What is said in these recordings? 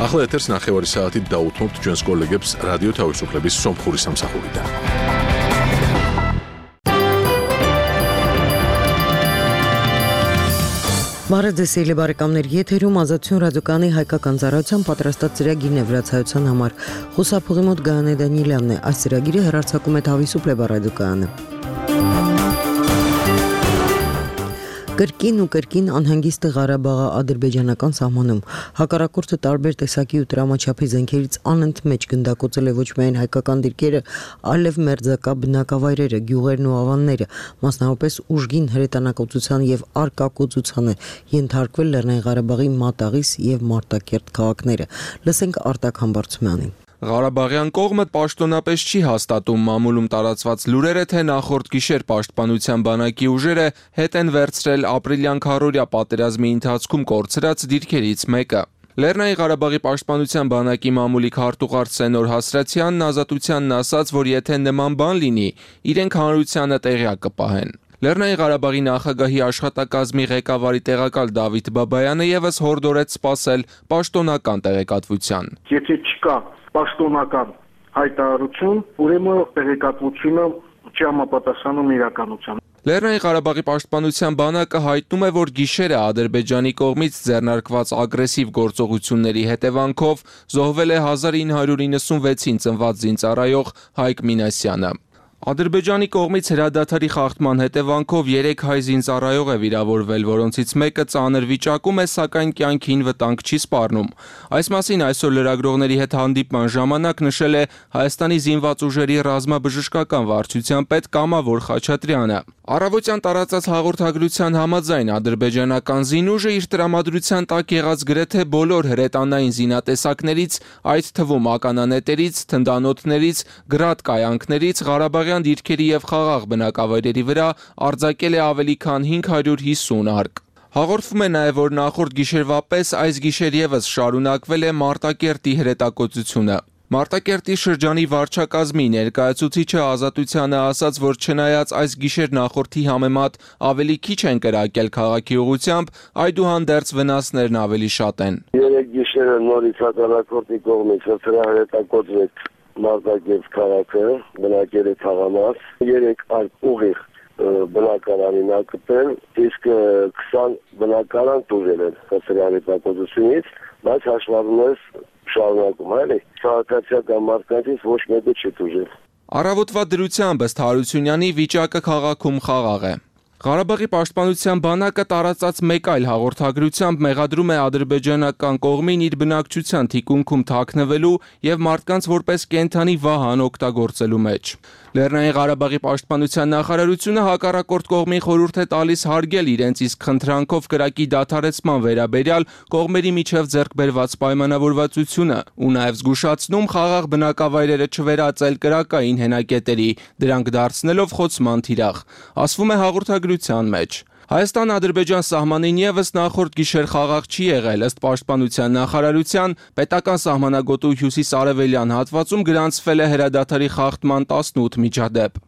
ახლა ეთერს ნახევარი საათით დაუთმობთ ჩვენს კოლეგებს რადიო თავისუფლების სომხური სამსახურიდან. Բարեձեւելի բարեկամներ, եթերում Ազատություն ռադիոկայանի հայկական ծառայության պատրաստած ծրագիրն է վրացայության համար։ Խոսափողի մոտ Գայանե Դանիելյանն է։ Այս ծրագիրը հեռարձակում է Თავისუფლება ռադիոկայանը։ Կրկին ու կրկին անհանգիստ է Ղարաբաղի ադրբեջանական սահմանում։ Հակառակորդը տարբեր տեսակի ու տրամաչափի զենքերից անընդմեջ գնդակոծել է ոչ միայն հայկական դիրքերը, այլև մերձակա բնակավայրերը, գյուղերն ու ավանները, մասնավորապես ուժգին հրետանակոծության եւ արկակոծության է ենթարկվել Լեռնային Ղարաբաղի Մատաղիս եւ Մարտակերտ քաղաքները։ Լսենք Արտակ Համբարձումյանին։ Ղարաբաղյան կողմը պաշտոնապես չի հաստատում մամուլում տարածված լուրերը, թե նախորդ գիշեր պաշտպանության բանակի ուժերը հետ են վերցրել ապրիլյան քառօրյա պատերազմի ընթացքում կորցրած դիրքերից մեկը։ Լեռնային Ղարաբաղի պաշտպանության բանակի մամուլի քարտուղար Սենոր Հասրացյանն Ազատությանն ասաց, որ եթե նման բան լինի, իրենք հանրությանը տեղյակ կպահեն։ Լեռնային Ղարաբաղի նախագահի աշխատակազմի ղեկավարի տեղակալ Դավիթ Բաբայանը եւս հորդորեց սպասել պաշտոնական տեղեկատվության։ Եթե չկա պաշտոնական հայտարարություն, ուրեմն տեղեկատվությունը չի համապատասխանում իրականությանը։ Լեռնային Ղարաբաղի պաշտպանության բանակը հայտնում է, որ գիշերը Ադրբեջանի կողմից ձեռնարկված ագրեսիվ գործողությունների հետևանքով զոհվել է 1996-ին ծնված զինծառայող Հայկ Մինասյանը։ Ադրբեջանի կողմից հրադադարի խախտման հետևանքով 3 հայ զինծառայող է վիրավորվել, որոնցից մեկը ծանր վիճակում է, սակայն կյանքին վտանգ չի սպառնում։ Այս մասին այսօր լրագրողների հետ հանդիպման ժամանակ նշել է Հայաստանի զինված ուժերի ռազմաբժշկական վարչության պետ Կամավոր Խաչատրյանը։ Առավոտյան տարածած հաղորդագրության համաձայն ադրբեջանական զինուժը իր տրամադրության տակ եղած գրեթե բոլոր հրետանային զինատեսակներից, այդ թվում ականանետերից, թնդանոթներից, գրադ կայանքներից, Ղարաբաղյան դիրքերի եւ խաղաղ բնակավայրերի վրա արձակել է ավելի քան 550 արկ։ Հաղորդվում է նաև, որ նախորդ գիշերվա պես այս գիշեր եւս շարունակվել է Մարտակերտի հրետակոծությունը։ Մարտակերտի շրջանի վարչակազմի ներկայացուցիչը Ազատությանը ասաց, որ չնայած այս գիշեր նախորդի համեմատ ավելի քիչ են կրակել քաղաքի ուղությամբ, այդուհանդերձ վնասներն ավելի շատ են։ Երեք գիշերը նորից հակառակորդի կողմից հրետակոծվեց Մարտակերտ քաղաքը, բնակելի թաղամաս, 3 արկ ուղիղ բնակարանին ակտել, իսկ 20 բնակարան տուժել են հրետակոծությունից, բայց հաշվառումս շարունակում այլ է, քաղաքացիական մարդկանցից ոչ մեկը չի տուժել։ Առավոտվա դրությամբ ըստ Հարությունյանի վիճակը քաղաքում խաղաղ է։ Ղարաբաղի պաշտպանության բանակը տարածած մեկ այլ հաղորդագրությամբ մեղադրում է ադրբեջանական կողմին իր բնակչության թիկունքում թաքնվելու եւ մարդկանց որպես կենդանի վահան օգտագործելու մեջ։ Լեռնային Ղարաբաղի պաշտպանության նախարարությունը հակառակորդ կողմին խորհուրդ է տալիս հարգել իրենց իսկ խնդրանքով կրակի դադարեցման վերաբերյալ կողմերի միջև ձեռք բերված պայմանավորվածությունը ու նաեւ զգուշացնում խաղաղ բնակավայրերը չվերածել կրակային հենակետերի, դրանք դարձնելով խոցման թիրախ։ Ասվում է հաղորդագրության մեջ։ Հայաստան-Ադրբեջան սահմանին եւս նախորդ գիշեր խաղաղ չի եղել, ըստ պաշտպանության նախարարության, պետական սահմանագոտու հյուսիս-արևելյան հատվածում գրանցվել է հրադադարի խախտման 18 միջադեպ։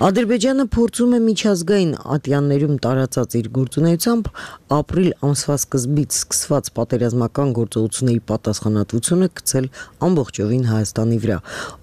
Ադրբեջանը փորձում է միջազգային ատյաններում տարածած իր գործունեությամբ ապրիլ ամսվա սկզբից սկսված պատերազմական գործողությունների պատասխանատվությունը գցել ամբողջովին Հայաստանի վրա։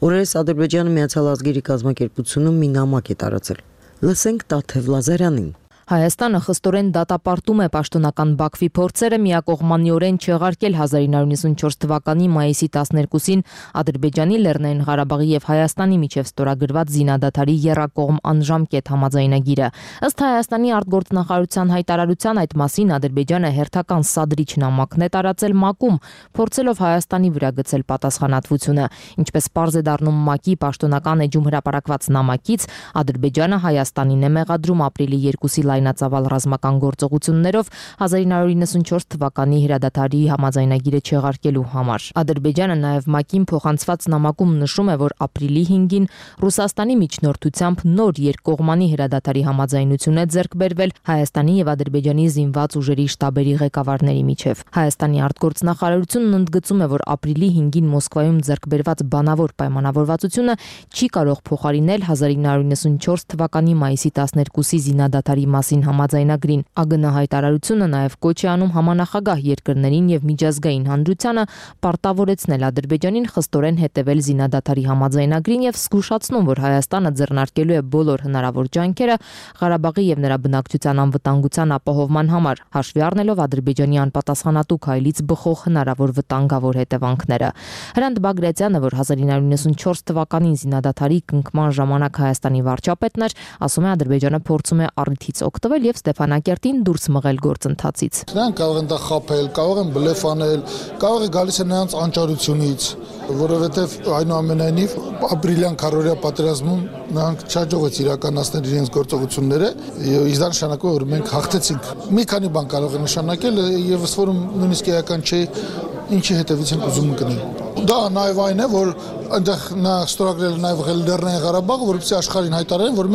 Օրերս Ադրբեջանը Միացյալ Ազգերի կազմակերպությունում մի նամակ է տարածել։ Լսենք Տաթև Լազարյանին։ Հայաստանը խստորեն դատապարտում է պաշտոնական Բաքվի փորձերը միակողմանիորեն չեղարկել 1994 թվականի մայիսի 12-ին Ադրբեջանի, Լեռնային Ղարաբաղի եւ Հայաստանի միջև ստորագրված զինադադարի եռակողմ անժամկետ համաձայնագիրը։ Ըստ Հայաստանի արտգործնախարարության հայտարարության այդ մասին Ադրբեջանը հերթական սադրիչ նամակն է տարածել ՄԱԿ-ում, փորձելով Հայաստանի վրա գցել պատասխանատվությունը։ Ինչպես պարզ է դառնում ՄԱԿ-ի պաշտոնական էջում հրապարակված նամակից, Ադրբեջանը Հայաստանին է մեղադրում ապրիլի 2-ի լայնածավալ ռազմական գործողություններով 1994 թվականի հրադադարի համաձայնագիրը չեղարկելու համար։ Ադրբեջանը նաև ՄԱԿ-ին փոխանցված նամակում նշում է, որ ապրիլի 5-ին Ռուսաստանի միջնորդությամբ նոր երկկողմանի հրադադարի համաձայնություն է ձեռք բերվել Հայաստանի եւ Ադրբեջանի զինված ուժերի շտաբերի ղեկավարների միջև։ Հայաստանի արտգործնախարարությունն ընդգծում է, որ ապրիլի 5-ին Մոսկվայում ձեռք բերված բանավոր պայմանավորվածությունը չի կարող փոխարինել 1994 թվականի մայիսի 12-ի զինադադարի մասին համաձայնագրին։ ԱԳՆ հայտարարությունը նաև կոչ է անում համանախագահ երկրներին եւ միջազգային հանրությանը պարտավորեցնել Ադրբեջանին խստորեն հետևել զինադադարի համաձայնագրին եւ զգուշացնում, որ Հայաստանը ձեռնարկելու է բոլոր հնարավոր ջանքերը Ղարաբաղի եւ նրա բնակչության անվտանգության ապահովման համար, հաշվի առնելով Ադրբեջանի անպատասխանատու քայլից բխող հնարավոր վտանգավոր հետևանքները։ Հրանտ Բագրատյանը, որ 1994 թվականին զինադադարի կնքման ժամանակ Հայաստանի վարչապետն էր, ասում է Ադրբեջանը փորձում է առիթից օգտվել եւ Ստեփանակերտին դուրս մղել գործընթացից։ Նրանք կարող են դա խաբել, կարող են բլեֆ անել, կարող է գալիս է նրանց անճարությունից, որովհետև այնուամենայնիվ ապրիլյան քարորիա պատերազմում նրանք չհաջողեց իրականացնել իրենց գործողությունները եւ դա նշանակում է որ մենք հաղթեցինք։ Մի քանի բան կարող է նշանակել եւ ըստ որում նույնիսկ էական չէ ինչի հետևից ենք ուզում ընկնել։ Դա նաև այն է, որ այնտեղ նա ստորագրել է նաև Լեռնային Ղարաբաղը, որովհետեւ աշխարհին հայտարարեն, որ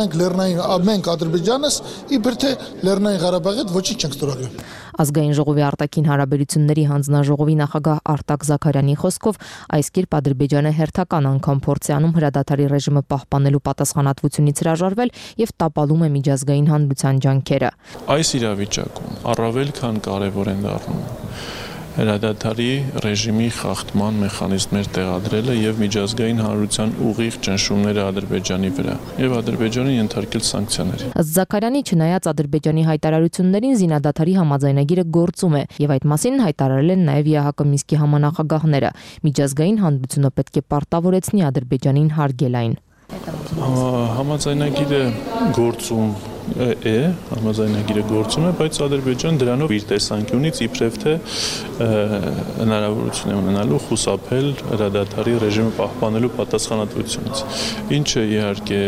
մենք Ադրբեջանս իբր թե Լեռնային Ղարաբաղի հետ ոչինչ չենք ստորագրել։ Ազգային ժողովի արտաքին հարաբերությունների հանձնաժողովի նախագահ Արտակ Զաքարյանի խոսքով այս կերպ Ադրբեջանը հերթական անգամ փորձ է անում հրադադարի ռեժիմը պահպանելու պատասխանատվությունից հրաժարվել եւ տապալում է միջազգային հանրության ջանքերը։ Այս իրավիճակում առավել քան կարեւոր են դառնում հրադադարի ռեժիմի խախտման մեխանիզմներ տեղադրելը եւ միջազգային հանրության ուղիղ ճնշումները Ադրբեջանի վրա եւ Ադրբեջանին ենթարկել սանկցիաների։ Ըստ Զաքարյանի, չնայած Ադրբեջանի հայտարարություններին զինադադարի համաձայնագիրը գործում է եւ այդ մասին հայտարարել են նաեւ ԵԱՀԿ Մինսկի համանախագահները։ Միջազգային հանրությունը պետք է պարտավորեցնի Ադրբեջանին հարգել այն։ Համաձայնագիրը գործում է, բայց Ադրբեջանը դրանով իր տեսանկյունից իբրև թե հնարավորություն է ունենալու խուսափել հրադադարի ռեժիմը պահպանելու պատասխանատվությունից, ինչը իհարկե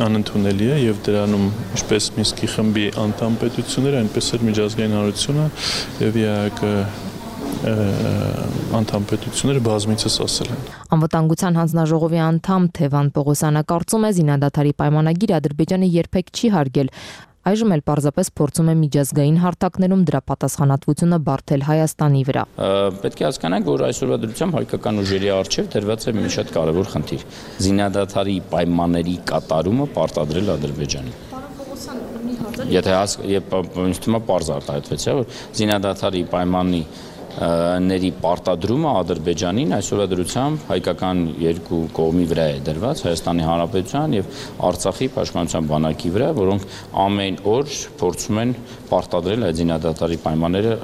անընդունելի է եւ դրանում ինչպես Մինսկի խմբի անդամ պետությունները, այնպես էլ միջազգային հանրությունը եւ ԵԱՀԿ անդամ պետությունները բազմիցս ասել են։ Անվտանգության հանձնաժողովի անդամ Թևան Պողոսյանը կարծում է զինադադարի պայմանագիրը Ադրբեջանը երբեք չի հարգել։ Այժմ էլ պարզապես փորձում է միջազգային հարթակներում դրա պատասխանատվությունը բարթել Հայաստանի վրա։ Պետք է հասկանանք, որ այսօրվա դրությամբ հայկական ուժերի առջև դրված է մի շատ կարևոր խնդիր՝ զինադադարի պայմանների կատարումը պարտադրել Ադրբեջանին։ Եթե ինձ թվում է պարզ արտահայտվեց, որ զինադադարի պայմանի ների պարտադրումը Ադրբեջանին այսօրվա դրությամբ հայկական երկու կողմի վրա է դրված Հայաստանի Հանրապետության եւ Արցախի պաշտպանության բանակի վրա, որոնք ամեն օր փորձում են պարտադրել այդ զինադադարի պայմանները,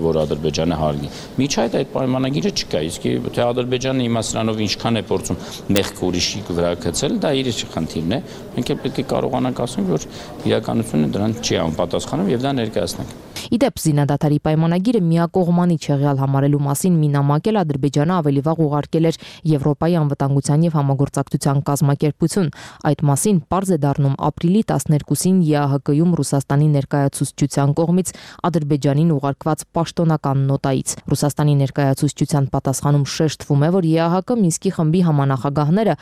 որ Ադրբեջանը հարգի։ Միջայդ այդ պայմանագիրը չկա, իսկ թե Ադրբեջանը հիմա սրանով ինչքան է փորձում մեղք ուրիշի վրա գցել, դա իր խնդիրն է։ Մենք էլ պետք է կարողանանք ասել, որ իրականությունը դրան չի անպատասխանում եւ դա ներկայացնենք։ Իդեպ զինադադարի պայմանագիրը միակողմանի չեղյալ համարելու մասին մի նամակ էլ Ադրբեջանը ավելի վաղ ուղարկել էր Եվրոպայի անվտանգության եւ համագործակցության կազմակերպություն։ Այդ մասին պարզ է դառնում ապրիլի 12-ին ԵԱՀԿ-ում Ռուսաստանի ներկայացուցչության կողմից Ադրբեջանին ուղարկված պաշտոնական նոտայից։ Ռուսաստանի ներկայացուցչության պատասխանում շեշտվում է, որ ԵԱՀԿ Մինսկի խմբի համանախագահները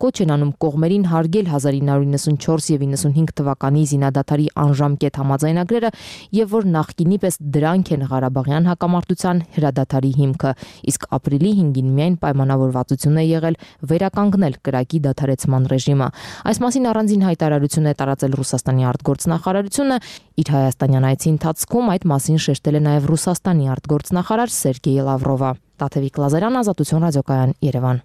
կոչ են անում կողմերին հարգել 1994 եւ 95 թվականի զինադադարի անժամկետ համաձայնագրերը եւ որ նախկինի պես դրանք են Ղարաբաղյան հակամարտության հրադադարի հիմքը, իսկ ապրիլի 5-ին միայն պայմանավորվածություն է եղել վերականգնել կրակի դադարեցման ռեժիմը։ Այս մասին առանձին հայտարարություն է տարածել Ռուսաստանի արտգործնախարարությունը, իր հայաստանյան այցի ընթացքում այդ մասին շեշտել է նաև Ռուսաստանի արտգործնախարար Սերգեյ Լավրովը։ Տաթևիկ Լազարյան, Ազատություն ռադիոկայան, Երևան։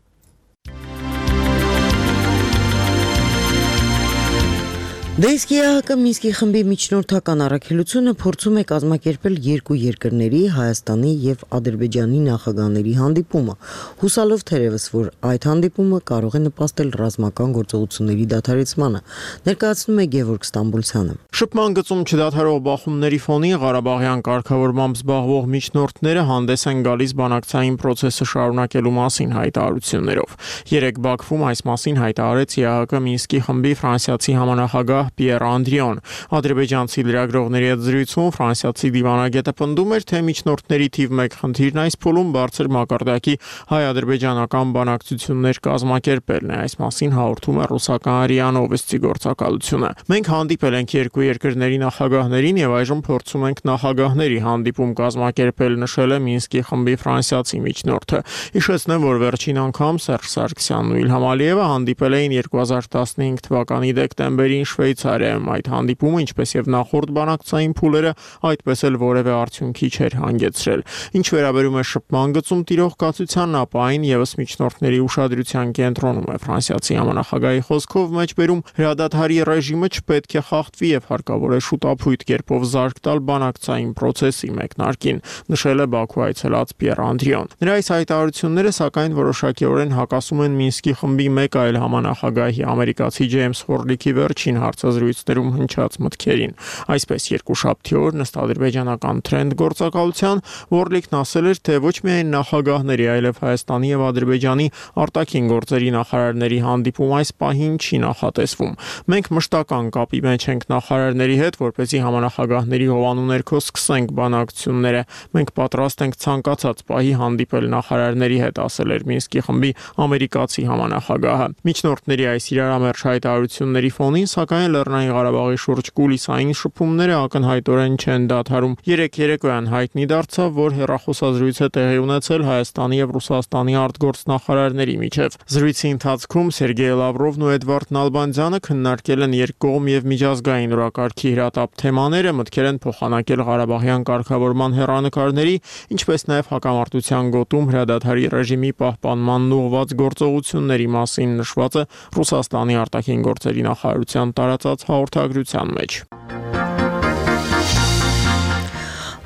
Դեսկի ԵԱՀԿ Մինսկի խմբի միջնորդական առաքելությունը փորձում է կազմակերպել երկու երկրների Հայաստանի եւ Ադրբեջանի նախագահների հանդիպումը, հուսալով թերևս, որ այդ հանդիպումը կարող է նպաստել ռազմական գործողությունների դադարեցմանը, ներկայացնում է Գևորգ Ստամբուլցյանը։ Շփման գծում չդադարող բախումների ֆոնին Ղարաբաղյան կարգավորմամբ զբաղվող միջնորդները հանդես են գալիս բանակցային process-ը շարունակելու մասին հայտարարություններով։ Երեկ Բաքվում այս մասին հայտարարեց ԵԱՀԿ Մինսկի խմբի ֆրանսիացի համանախագահ Պիեր Անդրիոն։ Ադրբեջանցի լրագրողների հետ զրույցում ֆրանսիացի դիվանագետը պնդում էր, թե միջնորդների թիվ 1 խնդիրն այս փուլում բարձր մակարդակի հայ-ադրբեջանական բանակցություններ կազմակերպելն է։ Այս մասին հաղորդում է ռուսական ՌԻԱ Նովոստի գործակալությունը։ Մենք հանդիպել ենք երկու երկրների նախագահներին եւ այժմ փորձում ենք նախագահների հանդիպում կազմակերպել, նշել է Մինսկի խմբի ֆրանսիացի միջնորդը։ Հիշեցնեմ, որ վերջին անգամ Սերժ Սարգսյանն ու Իլհամ Ալիևը հանդիպել էին 2015 թվականի դեկտեմբերին Շվեյցարիայում Շվեյցարիայում։ Այդ հանդիպումը, ինչպես եւ նախորդ բանակցային փուլերը, այդպես էլ որևէ արդյունքի չէր հանգեցրել։ Ինչ վերաբերում է շփման գծում տիրող կացությանն, ապա այն եւս միջնորդների ուշադրության կենտրոնում է։ Ֆրանսիացի համանախագահի խոսքով մեջբերում հրադադարի ռեժիմը չպետք է խախտվի եւ հարկավոր է շուտապույտ կերպով զարգ տալ բանակցային process-ի մեկնարկին, նշել է Բաքու այցելած Պիեր Անդրիոն։ Նրա այս հայտարարությունները սակայն որոշակիորեն հակասում են Մինսկի խմբի մեկ այլ համանախագահի ամերիկացի Ջեյմս Հորլիքի վերջին հարցազրույցներում հնչած մտքերին։ Այսպես երկուշաբթի օր ըստ ադրբեջանական Trend գործակալության Հորլիկն ասել էր, թե ոչ միայն նախագահների, այլև Հայաստանի եւ Ադրբեջանի արտաքին գործերի նախարարների հանդիպում այս պահին չի նախատեսվում։ Մենք մշտական կապի մեջ ենք նախարարների հետ, որպեսզի համանախագահների հովանու ներքո սկսենք բանակցությունները։ Մենք պատրաստ ենք ցանկացած պահի հանդիպել նախարարների հետ, ասել էր Մինսկի խմբի ամերիկացի համանախագահը։ Միջնորդների այս իրարամերժ հայտարարությունների ֆոնին, սակայն Լեռնային Ղարաբաղի շուրջ կուլիսային շփումները ակնհայտորեն չեն դադարում։ Երեկոյան հայտնի դարձավ, որ հեռախոսազրույց է տեղի ունեցել Հայաստանի եւ Ռուսաստանի արտգործնախարարների միջև։ Զրույցի ընթացքում Սերգեյ Լավրովն ու Էդվարդ Նալբանդյանը քննարկել են երկկողմ եւ միջազգային օրակարգի հրատապ թեմաները, մտքեր են փոխանակել Ղարաբաղյան կարգավորման հեռանկարների, ինչպես նաեւ հակամարտության գոտում հրադադարի ռեժիմի պահպանման ուղղված գործողությունների մասին նշված է Ռուսաստանի արտաքին գործերի նախարարության տարածած հաղորդագրության մեջ։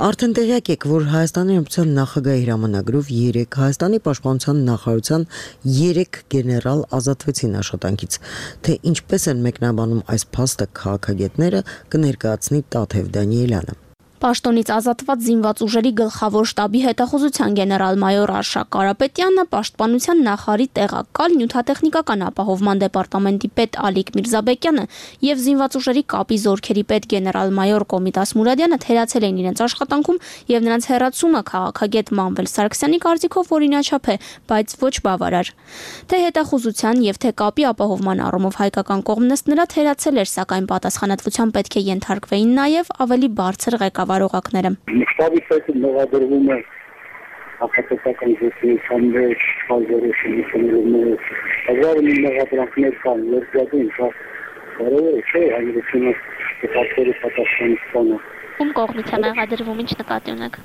Արդեն տեղյակ եք, որ Հայաստանի Հանրապետության նախագահի հրամանագրով Հայաստանի պաշտպանության նախարարության 3 գեներալ ազատվեցին աշխատանքից, թե ինչպես են մեկնաբանում այս փաստը քաղաքագետները, կներկայացնի Տաթև Դանիելյանը։ Պաշտոնից ազատված զինված ուժերի գլխավոր շտաբի հետախուզության գեներալ-մայոր Արշակ Կարապետյանը, պաշտպանության նախարարի տեղակալ նյութատեխնիկական ապահովման դեպարտամենտի պետ Ալիկ Միրզաբեկյանը եւ զինված ուժերի կապի զորքերի պետ գեներալ-մայոր Կոմիտաս Մուրադյանը թերացել են իրենց աշխատանքում եւ նրանց հերացումը քաղաքագետ Մանվել Սարգսյանի կարծիքով օրինաչափ է, բայց ոչ բավարար։ Թե հետախուզության եւ թե կապի ապահովման առումով հայկական կողմն ըստ նրա թերացել էր, սակայն պատասխանատվության պետք է ենթարկվեին նաեւ ավելի բարձր ղեկավարողակները։ Շտաբի պետը մեղադրվում է հակատեսական գործունեության մեջ, խազորոշությունների հազարի մեղադրանքներ կան, երկրատուն շատ կարևոր չէ հանրությունը կապերի պատասխանատվությունը։ Ում կողմից է մեղադրվում, ինչ նկատի ունեք։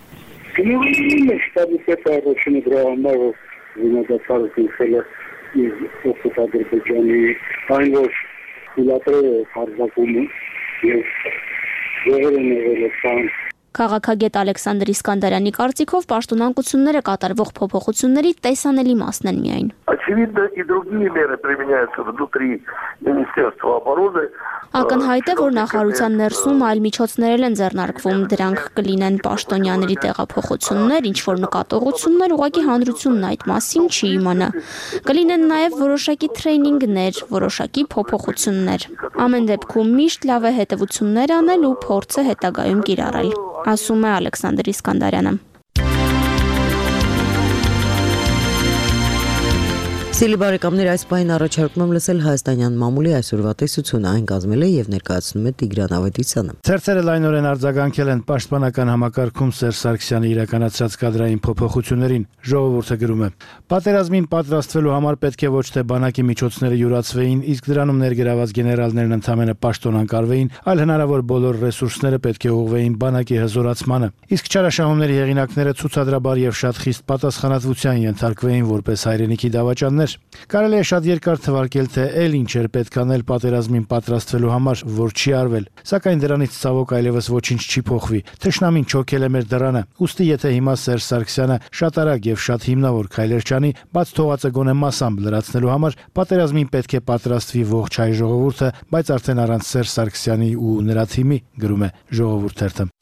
Շտաբի պետը առաջինը դրա համար զինադատարը կնքել է իր Ադրբեջանի այն որ հիլատրերը հարձակում եւ եղել են եղել Քաղաքագետ Ալեքսանդր Իսկանդարյանի կարծիքով պաշտոնանկությունները կատարվող փոփոխությունների տեսանելի մասն են միայն։ Очевидно, и другие меры применяются внутри Министерства обороны. Ակնհայտ է, որ նախարարության ներսում այլ միջոցներ են ձեռնարկվում, դրանք կլինեն պաշտոնյաների տեղափոխություններ, ինչ որ նկատողություններ, ուղղակի հանրությունն այդ մասին չի իմանա։ Կլինեն նաև որոշակի թրեյնինգներ, որոշակի փոփոխություններ։ Ամեն դեպքում միշտ լավ է հետևություններ անել ու փորձը հետագայում կիրառել, ասում է Ալեքսանդր Իսկանդարյանը։ Սիրելի բարեկամներ, այս պահին առաջարկում եմ լսել հայաստանյան մամուլի այսօրվա տեսությունը, այն կազմել է եւ ներկայացնում է Տիգրան Ավետիսյանը։ Ցերցերը լայնորեն արձագանքել են պաշտպանական համակարգում Սերժ Սարգսյանի իրականացրած կադրային փոփոխություններին, ժողովուրդը գրում է. Պատերազմին պատրաստվելու համար պետք է ոչ թե բանակի միջոցները յուրացվեին, իսկ դրանում ներգրաված գեներալներն ընդամենը պաշտոնանկարվեին, այլ հնարավոր բոլոր ռեսուրսները պետք է ուղղվեին բանակի հզորացմանը։ Իսկ չարաշահումների հեղինակները ցուցադրաբար եւ շատ խիստ պատասխանատվության ենթարկվեին որպես հայրենիքի դավաճաններ։ Կարելի է շատ երկար թվարկել, թե ել ինչ էր պետք անել պատերազմին պատրաստվելու համար, որ չի արվել, սակայն դրանից ցավոք այլևս ոչինչ չի փոխվի։ Թշնամին չոքել է մեր դռանը։ Ուստի եթե հիմա Սերժ Սարգսյանը շատ արագ եւ շատ հիմնավոր քայլեր չանի, բաց թողածը գոնե մասամբ լրացնելու համար, պատերազմին պետք է պատրաստվի ողջ հայ ժողովուրդը, բայց արդեն առանց Սերժ Սարգսյանի ու նրա թիմի, գրում է Ժողովուրդ թերթը։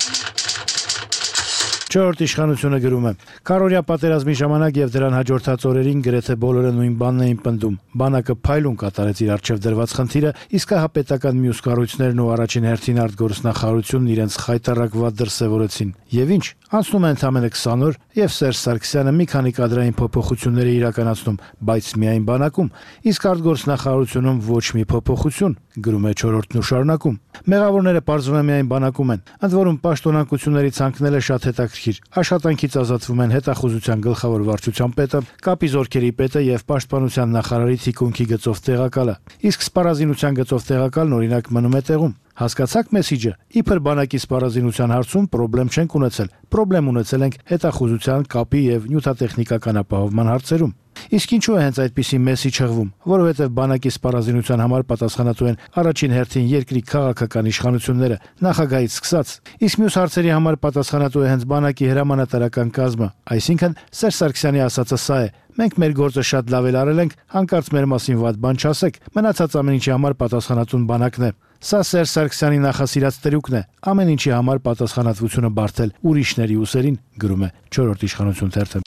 Չորրորդ իշխանությունը գրում է. Քարորյա պատերազմի ժամանակ եւ դրան հաջորդած օրերին գրեթե բոլորը նույն բանն էին պնդում։ Բանակը փայլուն կատարեց իր արժեվ դրված խնդիրը, իսկ հա պետական մյուս կառույցներն ու առաջին հերթին արտգործնախարարությունն իրենց խայտարակված դրսևորեցին։ Եվ ինչ, անցնում է ընդամենը 20 օր եւ Սերժ Սարգսյանը մի քանի կադրային փոփոխություններ է իրականացնում, բայց միայն բանակում, իսկ արտգործնախարարությունում ոչ մի փոփոխություն, գրում է Չորրորդն ու շարունակում։ Մեղավորները պարզվում է միայն բանակում են, ընդ որում պաշտոնանկությունների ցանկները շատ հետաքրքիր հետաքրքիր։ Աշխատանքից ազատվում են հետախուզության գլխավոր վարչության պետը, կապի զորքերի պետը եւ պաշտպանության նախարարի թիկունքի գծով տեղակալը։ Իսկ սպառազինության գծով տեղակալն օրինակ մնում է տեղում։ Հասկացաք մեսիջը։ Իբր բանակի սպառազինության հարցում խնդրեմ չենք ունեցել։ Խնդրեմ ունեցել ենք հետախուզության, կապի եւ նյութատեխնիկական ապահովման հարցերում։ Իսկ ինչու է հենց այդպիսի մեսի չղվում, որովհետև բանակի սպառազինության համար պատասխանատու են առաջին հերթին երկրի քաղաքական իշխանությունները, նախագահից սկսած։ Իսկ մյուս հարցերի համար պատասխանատու է հենց բանակի հրամանատարական կազմը, այսինքն Սերժ Սարգսյանի ասածը սա է. մենք մեր գործը շատ լավ էլ արել ենք, հանկարծ մեր մասին վատ բան չասեք, մնացած ամեն ինչի համար պատասխանատուն բանակն է։ Սա Սերժ Սարգսյանի նախասիրած տրյուկն է, ամեն ինչի համար պատասխանատվությունը բարթել ուրիշների ուսերին, գրում է 4-րդ իշխանություն թերթը։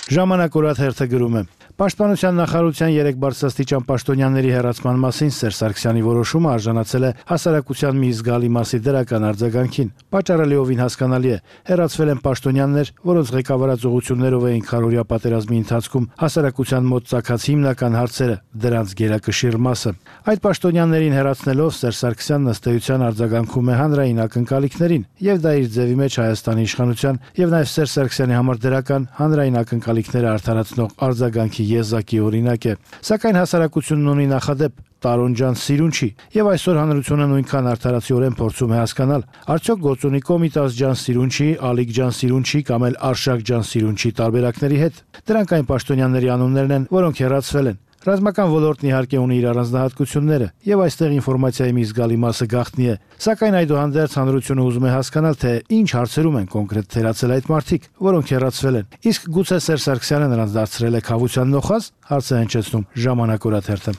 Ժամանակ օրաթերթը գրում է. Պաշտպանության նախարարության 3 բարձրաստիճան պաշտոնյաների հեռացման մասին Սերժ Սարգսյանի որոշումը արժանացել է հասարակության մի զգալի մասի դրական արձագանքին։ Պատճառը լիովին հասկանալի է։ Հեռացվել են պաշտոնյաներ, որոնց ղեկավարած ուղղություններով էին քարորյա պատերազմի ընթացքում հասարակության մոտ ծագած հիմնական հարցերը, դրանց գերակշիռ մասը։ Այդ պաշտոնյաներին հեռացնելով Սերժ Սարգսյանն ըստ էության արձագանքում է հանրային ակնկալիքներին, եւ դա իր ձևի մեջ Հայաստանի իշխանության եւ նաեւ Սերժ Սարգսյանի համար դրական հանրային ակնկալիքները արդարացնող արձագանքի եզակի օրինակ է։ Սակայն հասարակությունն ունի նախադեպ Տարոնջան սիրուն չի, եւ այսօր հանրությունը նույնքան արդարացիորեն փորձում է հասկանալ, արդյոք գործունի Կոմիտաս ջան սիրուն չի, Ալիկ ջան սիրուն չի կամ էլ Արշակ ջան սիրուն չի տարբերակների հետ։ Դրանք այն պաշտոնյաների անուններն են, որոնք հեռացվել են։ Ռազմական ոլորտն իհարկե ունի իր առանձնահատկությունները, եւ այստեղ ինֆորմացիայի մի զգալի մասը գաղտնի է։ Սակայն այդուհանդերձ հանրությունը ուզում է հասկանալ, թե ինչ հարցերում են կոնկրետ թերացել այդ մարդիկ, որոնք հեռացվել են։ Իսկ գուցե Սերժ Սարգսյանը նրանց դարձրել է քավության նոխազ, հարցը հնչեցնում Ժամանակ օրաթերթը։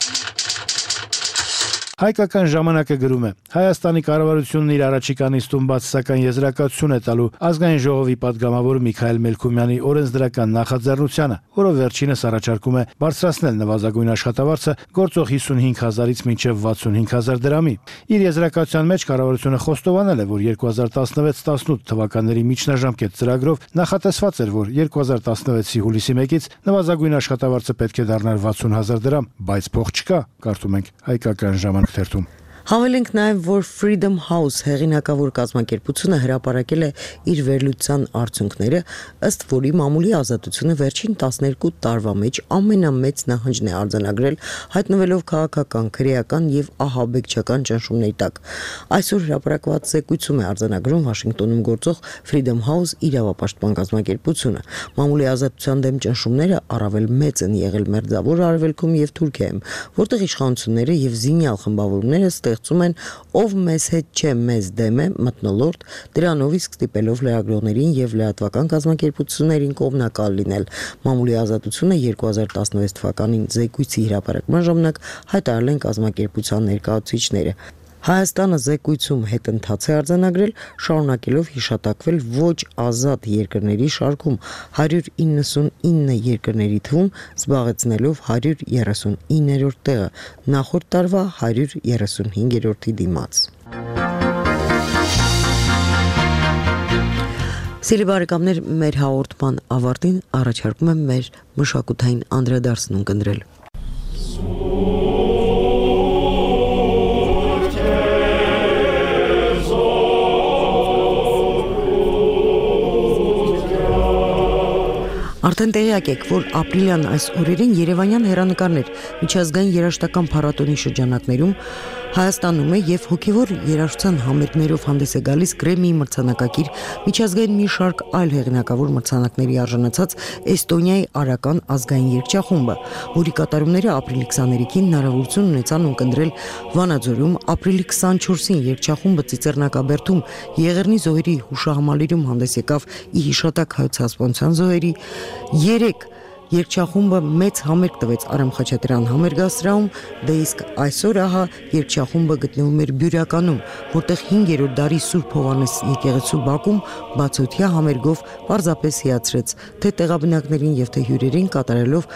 Հայկական ժամանակը գրում է. Հայաստանի կառավարությունն իր առաջիկա նիստում բաց սակայն եզրակացություն է տալու ազգային ժողովի падգամավոր Միքայել Մելքումյանի օրենսդրական նախաձեռնությանը, որով վերջինս առաջարկում է բարձրացնել նվազագույն աշխատավարձը գործող 55,000-ից մինչև 65,000 դրամի։ Իր եզրակացության մեջ կառավարությունը խոստովանել է, որ 2016-18 թվականների միջնաժամկետ ծրագրով նախատեսված էր, որ 2016-ի հուլիսի 1-ից նվազագույն աշխատավարձը պետք է դառնար 60,000 դրամ, բայց փող չկա, կարդում ենք Հայկական ժամանակ թերթում։ Հավելենք նաև, որ Freedom House հեղինակավոր կազմակերպությունը հրապարակել է իր վերլուծության արդյունքները, ըստ որի մամուլի ազատությունը վերջին 12 տարվա մեջ ամենամեծ նահանջն է արձանագրել, հայտնվելով քաղաքական, քրեական եւ ահաբեկչական ճնշումների տակ։ Այսօր հրապարակված զեկույցում է արձանագրում Վաշինգտոնում գործող Freedom House իրավապաշտպան կազմակերպությունը։ Մամուլի ազատության դեմ ճնշումները առավել մեծ են եղել Մերձավոր Արևելքում եւ Թուրքիայում, որտեղ իշխանությունները եւ զինյալ խմբավորումները ստեղծում են ով մեզ հետ չէ, մեզ դեմ է մթնոլորտ, դրանով իսկ ստիպելով լրագրողներին եւ լրատվական կազմակերպություններին կողմնակալ լինել։ Մամուլի ազատությունը 2016 թվականին զեկույցի հրապարակման ժամանակ հայտարարել են կազմակերպության ներկայացուցիչները։ Հայաստանը զեկույցում հետընթաց է արձանագրել, շարունակելով հիշատակվել ոչ ազատ երկրների շարքում 199 երկրների թվում, զբաղեցնելով 139-րդ տեղը, նախորդ տարվա 135-րդի դիմաց։ Սիրելի բարեկամներ, մեր հաղորդման ավարտին առաջարկում եմ մեր մշակութային անդրադարձն ունկնդրել։ Արդեն տեղյակ եք, որ ապրիլյան այս օրերին Երևանյան հեռանկարներ միջազգային երաժշտական փառատոնի շրջանակներում Հայաստանում է եւ հոգեվոր երաժշտության համերգներով հանդես է գալիս Գրեմմիի մրցանակակիր միջազգային մի շարք այլ հեղինակավոր մրցանակների արժանացած Էստոնիայի արական ազգային երգչախումբը, որի կատարումները ապրիլի 23-ին հնարավորություն ունեցան ունկնդրել Վանաձորում, ապրիլի 24-ին երգչախումբը Ծիծեռնակաբերդում Եղեռնի զոհերի հուշահամալիրում հանդես եկավ ի հիշատակ հայոց հասարակության զոհերի, 3 Երգչախումբը մեծ համերգ տվեց Արամ Խաչատրյան համերգասրահում, դե իսկ այսօր ահա երգչախումբը գտնվում էր Բյուրականում, որտեղ 5-րդ դարի Սուրբ Հովհաննես եկեղեցու բակում բացօթյա համերգով պարզապես հիացրեց թե տեղաբնակներին եւ թե հյուրերին կատարելով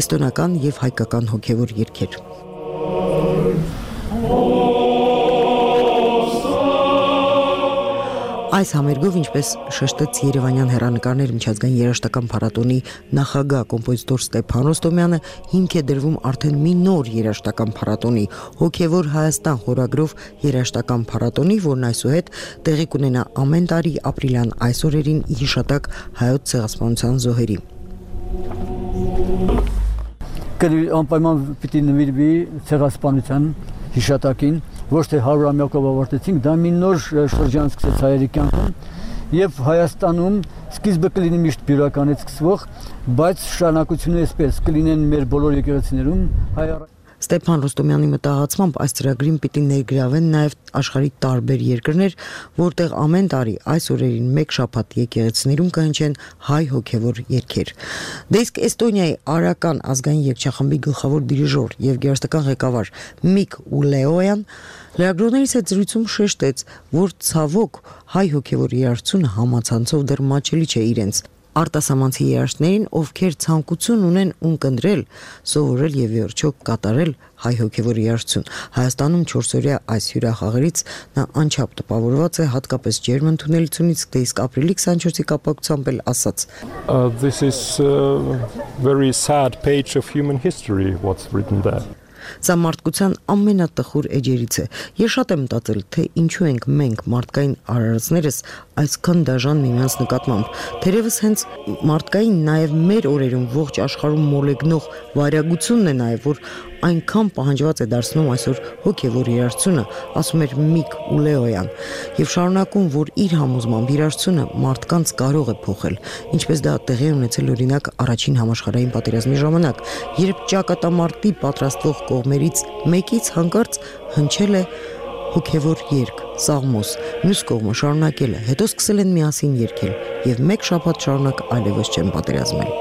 էստոնական եւ հայկական հոգեվոր երգեր։ Այս համերգով, ինչպես շեշտեց Երևանյան հեռանկարներ միջազգային երաժշտական փառատոնի նախագահ կոմպոզիտոր Ստեփան Ռոստոմյանը, հիմք է դրվում արդեն մի նոր երաժշտական փառատոնի, Հոգևոր Հայաստան խորագրով երաժշտական փառատոնի, որն այսուհետ տեղի կունենա ամեն տարի ապրիլյան այս օրերին հիշատակ հայոց ցեղասպանության զոհերի։ Անպայման պիտի նվիրվի ցեղասպանության հիշատակին, ոչ թե 100-ամյակով ավարտեցինք, դա մի նոր շրջան սկսեց հայերի կյանքում եւ Հայաստանում սկիզբը կլինի միշտ բյուրականից սկսվող, բայց շարունակությունը այսպես կլինեն մեր բոլոր եկեղեցիներում Ստեփան Ռոստոմյանի մտահղացմամբ այս ծրագրին պիտի ներգրավեն նաև աշխարհի տարբեր երկրներ, որտեղ ամեն տարի այս օրերին մեկ շաբաթ եկեղեցիներում կհնչեն հայ հոգևոր երգեր։ Դե իսկ Էստոնիայի արական ազգային երգչախմբի գլխավոր դիրիժոր եւ գերստական ղեկավար Միք Ուլեոյան լրագրողներից հետ զրույցում շեշտեց, որ ցավոք հայ հոգևոր երաժշտությունը համացանցով դեռ մաչելի չէ իրենց արտասահմանցի երաժշտներին, ովքեր ցանկություն ունեն ունկնդրել, սովորել եւ վերջո կատարել հայ հոգևոր երաժշտություն։ Հայաստանում 4-օրյա այս հյուրախաղերից նա անչափ տպավորված է հատկապես ջերմ ընդունելությունից, դե իսկ ապրիլի 24-ի կապակցությամբ էլ ասաց. This is a very sad page of human history what's written there. Սա մարդկության ամենատխուր էջերից է։ Ես շատ եմ մտածել, թե ինչու ենք մենք մարդկային արարածներս այսքան դաժան միմյանց նկատմամբ։ Թերևս հենց մարդկային նաև մեր օրերում ողջ աշխարհում մոլեգնող վարյագությունն է նաև, որ այնքան պահանջված է դարձնում այսօր հոգևոր երաժշտությունը, ասում էր Միք Ուլեոյան, եւ շարունակում, որ իր համոզմամբ երաժշտությունը մարդկանց կարող է փոխել, ինչպես դա տեղի ունեցել օրինակ առաջին համաշխարհային պատերազմի ժամանակ, երբ ճակատամարտի պատրաստվող կողմերից մեկից հանկարծ հնչել է հոգևոր երգ, սաղմոս, մյուս կողմը շարունակել է, հետո սկսել են միասին երգել եւ մեկ շաբաթ շարունակ այլևս չեն պատերազմել։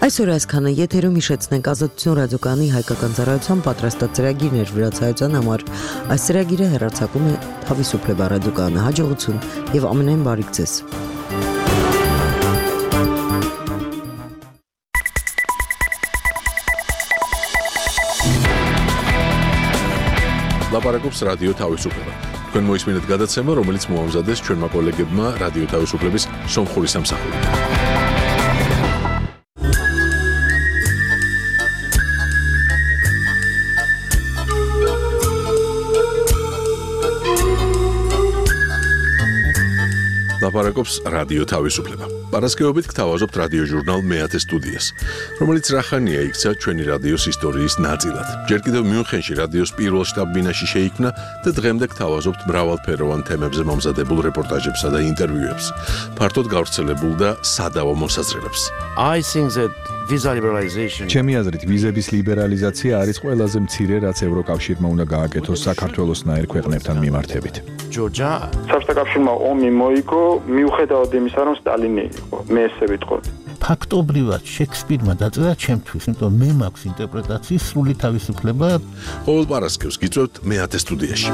Այսօր այսքանը եթերում հիշեցնենք Ազատություն ռադիոկայանի հայկական ծառայության պատրաստած ծրագիրներ վրացայության համար։ Այս ծրագիրը հեռարձակում է Թավիսոպլե ռադիոկայանը։ Հաջողություն եւ ամենայն բարիք ձեզ։ Լապարակոպս ռադիո Թավիսոպլե։ Քան մոյսմինդ գադացեմը, რომელიც մոամզադես չորմա կոլեգեբմա ռադիո Թավիսոպլեբիս Սոմխորիսամ սախորի։ Լապարակոպս ռադիո Թավիսոպլեբա։ Պարասկեոբիտ կթավազոպտ ռադիո ժուրնալ մեյատե ստուդիես, რომელიც ռախանի է իքցա ჩვენი ռադիոս ისტორიის ნაწილად։ Ჯერ კიდევ მიუნხენში რადიოს პირველ შტაბ-ბინაში შეიქმნა და დღემდე կթավազոպտ მრავალფეროვან თემებზე მომზადებულ რეპორტაჟებსა და ინტერვიუებს, ფართოდ გავრცელებულ და სადავო მოსაზრებებს. I think that visa liberalization ჩემი აზრით ვიზების ლიბერალიზაცია არის ყველაზე მცირე, რაც ევროკავშირმა უნდა გააკეთოს საქართველოსნაირ ქვეყნებთან მიმართებით. Georgia საბჭოთა ომი მოიგო მიუხედავად იმისა, რომ სტალინი იყო. მე ესე ვიტყოდი. ფაქტობრივად შექსპირმა დაწერა ჩემთვის, იმიტომ მე მაქვს ინტერპრეტაციის სრული თავისუფლება. ყოველ პარასკევს გიწევთ მეათე სტუდიაში.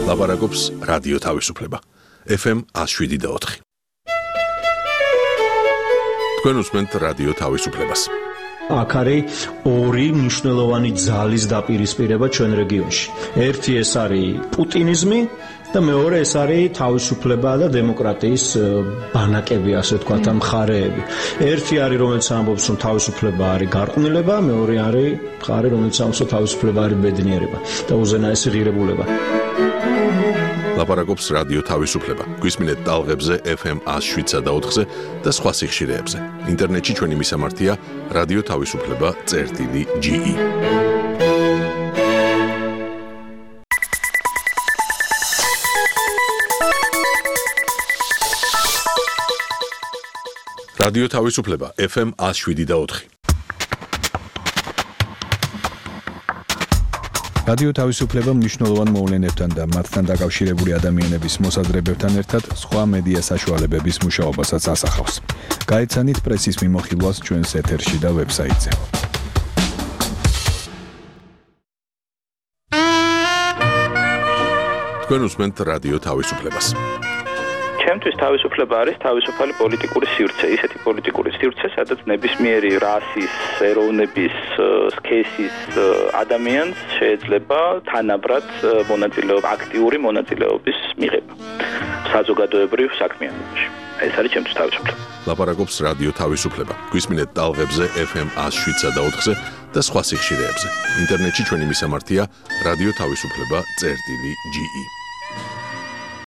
ლაპარაკობს რადიო თავისუფლება. FM 107.4. თქვენ უსმენთ რადიო თავისუფლებას. აქ არის ორი მნიშვნელოვანი ძალის დაპირისპირება ჩვენ რეგიონში. ერთი ეს არის პუტინიზმი და მეორე ეს არის თავისუფლება და დემოკრატიის ბანაკები, ასე ვთქვათ, მხარეები. ერთი არის რომელიც ამბობს რომ თავისუფლება არის გარყვნილება, მეორე არის მხარე რომელიც ამბობს რომ თავისუფლება არის ბედნიერება და უზენაესი ღირებულება. ლაპარაკობს რადიო თავისუფლება. გვისმინეთ ტალღებზე FM 107.4-ზე და სხვა სიხშირეებზე. ინტერნეტში ჩვენი მისამართია რადიო თავისუფლება.ge. რადიო თავისუფლება FM 107.4. რადიო თავისუფლება მნიშვნელოვან მოვლენებთან და მათთან დაკავშირებული ადამიანების მოსაზრებებთან ერთად სხვა მედია საშუალებების მუშაობასაც ასახავს. გაეცანით პრესის მიმოხილვას ჩვენს ეთერში და ვებსაიტზე. თქვენ უსმენთ რადიო თავისუფლებას. Ჩემთვის თავისუფლება არის თავისუფალი პოლიტიკური სივრცე, ისეთი პოლიტიკური სივრცე, სადაც ნებისმიერი რასის, ეროვნების, სქესის ადამიანს შეიძლება თანაბრად აქტიური მონაწილეობის მიღება საზოგადოებრივ საქმიანობაში. ეს არის ჩემთვის თავისუფლება. ლაპარაკობს რადიო თავისუფლება. გვისმინეთ ტალღებზე FM 107 და 4-ზე და სხვა სიხშირეებზე. ინტერნეტში ჩვენი მისამართია რადიო თავისუფლება.ge